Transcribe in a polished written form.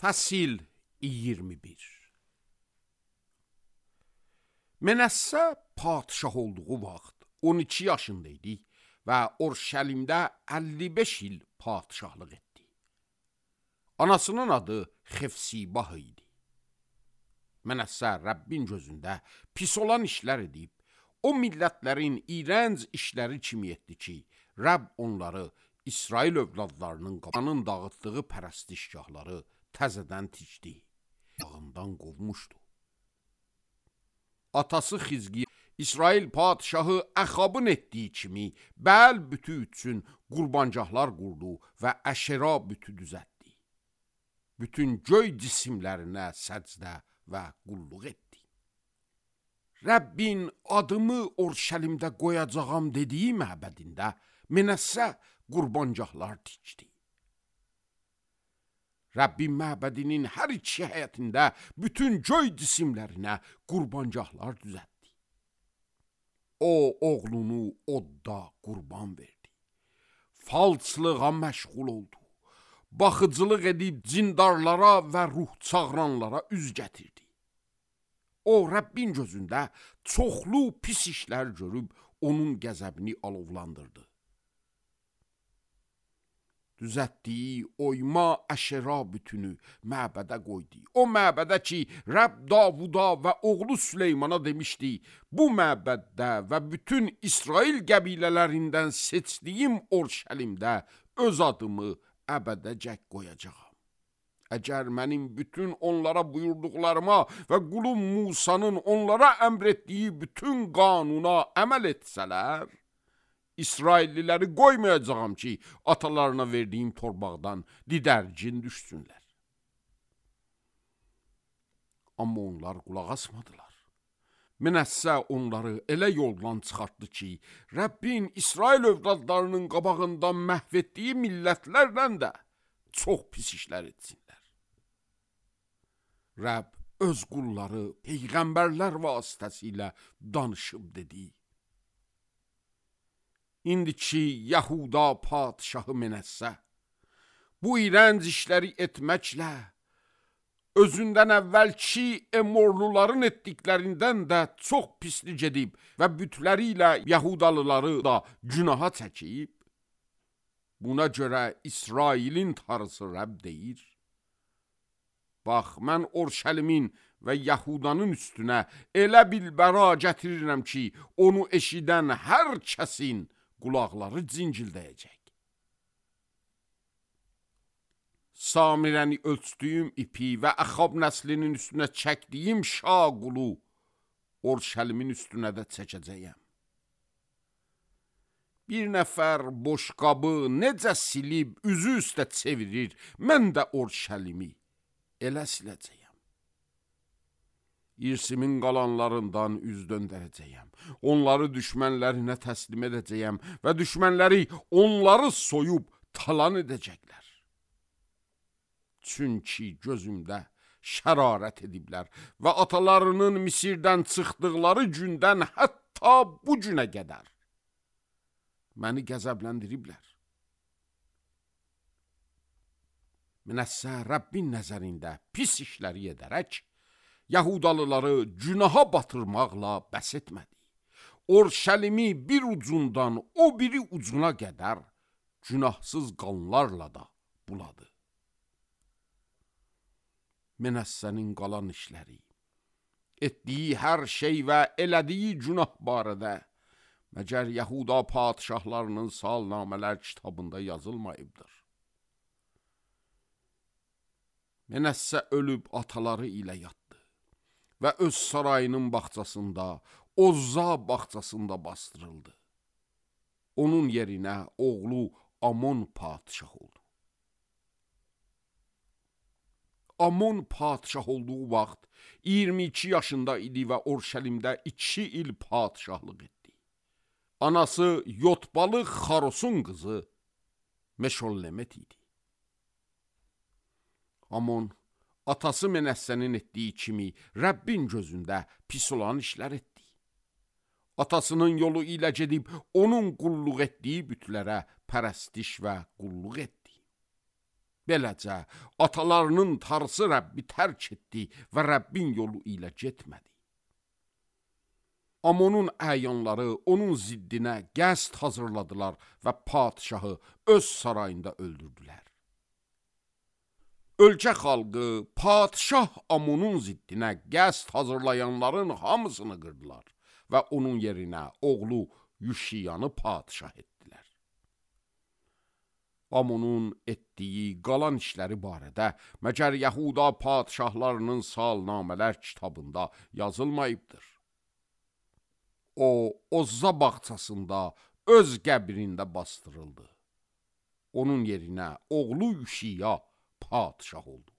Fəsil 21. Mənəssə padişah olduğu vaxt 12 yaşında idi və Orşəlimdə 55 il padişahlıq etdi. Anasının adı Xefsibah idi. Mənəssə Rəbbin gözündə pis olan işlər edib, o millətlərin iyrənc işləri kimi etdi ki, Rəbb onları İsrail övladlarının qabanın dağıtdığı pərəstişgahları təzədən tikdi, yağından qovmuşdu. Atası Xizqiya İsrail padişahı Əxabın etdiyi kimi Bəl bütü üçün qurbancaqlar qurdu və Əşera bütü düzəltdi. Bütün göy cisimlərinə səcdə və qulluq etdi. Rəbbin adımı Orşəlimdə qoyacağam dediyi məbədində Mənəssə qurbancaqlar tikdi. Rəbbin məbədinin hər iki həyətində bütün göy cisimlərinə qurbancaqlar düzəltdi. O, oğlunu odda qurban verdi. Falçılığa məşğul oldu. Baxıcılıq edib cindarlara və ruh çağıranlara üz gətirdi. O, Rəbbin gözündə çoxlu pis işlər görüb onun qəzəbini alovlandırdı. Düzəltdiyi oyma Əşera bütünü məbədə qoydu. O məbədə ki, Rəbb Davuda və oğlu Süleymana demişdi, bu məbəddə və bütün İsrail qəbilələrindən seçdiyim Orşəlimdə öz adımı əbədəcək qoyacağam. Əgər mənim bütün onlara buyurduqlarıma və qulum Musanın onlara əmr etdiyi bütün qanuna əməl etsələr, İsrailliləri qoymayacağam ki, atalarına verdiyim torbaqdan didərgin düşsünlər. Amma onlar qulaq asmadılar. Mənəssə onları elə yoldan çıxartdı ki, Rəbbin İsrail övladlarının qabağından məhv etdiyi millətlərlə də çox pis işlər etsinlər. Rəbb öz qulları peyğəmbərlər vasitəsilə danışıb dedi. İndiki Yahuda padişahı Mənəssə bu iyrənc işləri etməklə özündən əvvəlki Emorluların etdiklərindən də çox pislik edib və bütləri ilə Yahudalıları da günaha çəkib, buna görə İsrailin tanrısı Rəbb deyir, bax, mən Orşəlimin və Yahudanın üstünə elə bilbəra gətirirəm ki, onu eşidən hər kəsin qulaqları cincildəyəcək. Samirəni ölçdüyüm ipi və Əxab nəslinin üstünə çəkdiyim şaqulu Orşəlimin üstünə də çəkəcəyəm. Bir nəfər boşqabı necə silib üzü üstə çevirir, mən də Orşəlimi elə siləcəyəm. İrsimin qalanlarından üz döndərəcəyəm. Onları düşmənlərinə təslim edəcəyəm və düşmənləri onları soyub talan edəcəklər. Çünki gözümdə şərarət ediblər və atalarının Misirdən çıxdıqları gündən hətta bu günə qədər məni qəzəbləndiriblər. Mənəssə Rəbbin nəzərində pis işləri edərək, Yahudalıları günaha batırmaqla bəs etmədi. Orşəlimi bir ucundan o biri ucuna qədər günahsız qanlarla da buladı. Mənəssənin qalan işləri, etdiyi hər şey və elədiyi günah barədə məgər Yahuda padişahlarının salnamələr kitabında yazılmayıbdır. Mənəssə ölüb ataları ilə yatdı və öz sarayının bağçasında, Ozza bağçasında bastırıldı. Onun yerinə oğlu Amon padişah oldu. Amon padişah olduğu vaxt 22 yaşında idi və Orşəlimdə 2 il padişahlıq etdi. Anası Yotbalı Xarosun qızı Meşollemet idi. Amon atası Mənəssənin etdiyi kimi Rəbbin gözündə pis olan işlər etdi. Atasının yolu ilə gedib onun qulluq etdiyi bütlərə pərəstiş və qulluq etdi. Beləcə, atalarının tarısı Rəbbi tərk etdi və Rəbbin yolu ilə getmədi. Amonun əyanları onun ziddinə qəsd hazırladılar və padişahı öz sarayında öldürdülər. Ölkə xalqı padişah Amonun ziddinə qəsd hazırlayanların hamısını qırdılar və onun yerinə oğlu Yuşiyanı padişah etdilər. Amonun etdiyi qalan işləri barədə məgər Yahuda padişahlarının salnamələr kitabında yazılmayıbdır. O, Ozza bağçasında öz qəbrində bastırıldı. Onun yerinə oğlu Yuşiya padişah oldu.